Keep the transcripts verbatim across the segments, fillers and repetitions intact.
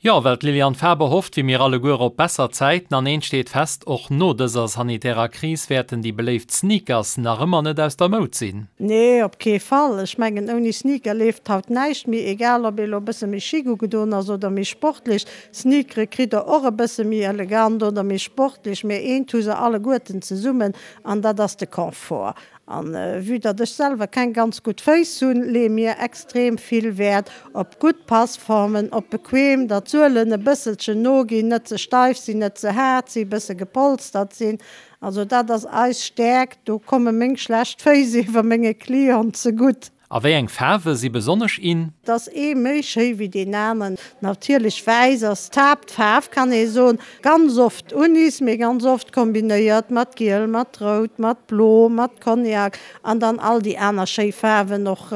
Jo, well d'Liliane Faber hofft wéi mir alleguer op besser Zäiten an eent steet fest, och no dëser sanitärer Kris wäerten déi beléift Sneakers nach ëmmer net aus der Moud sinn. Nee, op kee Fall. Ech mengen, ouni Sneaker leeft haut näischt méi, egal ob ee lo e bësse méi chic ugedoen ass oder méi sportlech. Sneakere kritt der och e bësse méi elegant oder méi sportlech, mee eent hu se alleguerten zesummen an dat ass de Confort. An vue datt ech selwer keng ganz gutt Féiss hunn, leeë mir extrem vill Wäert op gutt Passformen, op bequem, datt d'Suelen e bësselchen noginn, net ze steif sinn, net ze haart sinn, e bësse gepolstert sinn. Also dat ass eis Stäerkt, do komme meng schlecht Féiss ewer menge Clienten zegutt. A wéi eng Faarwe si besonnesch in? Et ass ee méi schéi wéi deen aneren. Natierlech wäiss ass d'Haaptfaarf, kann ee soen. Ganz oft Unis, mee ganz oft kombinéiert mat giel, mat rout, mat blo, mat Cognac an dann all déi aner schéi Faarwen och,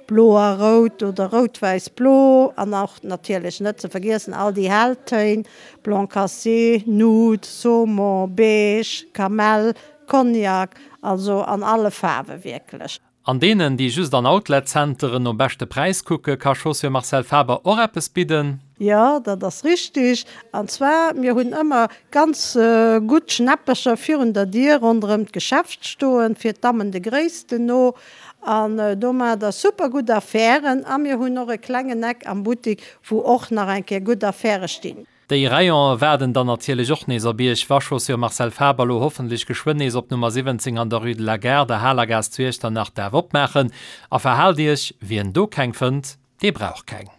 blo a rout oder rout-wäiss-blo an och natierlech net ze vergiessen all déi hell Téin, blanc cassé, nude, saumon, beige, kamell, Cognac, also an alle Faarwe wierklech. An deenen, déi just an Outlet-Zenteren nom beschte Präis kucke, ka Chaussure Marcel Faber och eppes bidden. Jo, dat ass richtig. An zwar, mir hunn ëmmer ganz gutt Schnäppercher virun der Dier ronderëm d'Geschäft stoen, fir d'Dammen de Gréissten no. An do maacht Der super gutt Affären. A mir hunn och e klengen Eck am Buttik, wou och nach eng Kéier gutt Affäre stinn. Déi Rayonen waarden dann natierlech och nees op Iech, wa Chaussures Marcel Faber lo hoffentlech geschwënn nees op Nummer siwwenzéng an der Rue de la Gare, der Halergaass zu Iechternach, däerf opmaachen. A verhaalt Iech, wien do keng fënnt, dee brauch keng.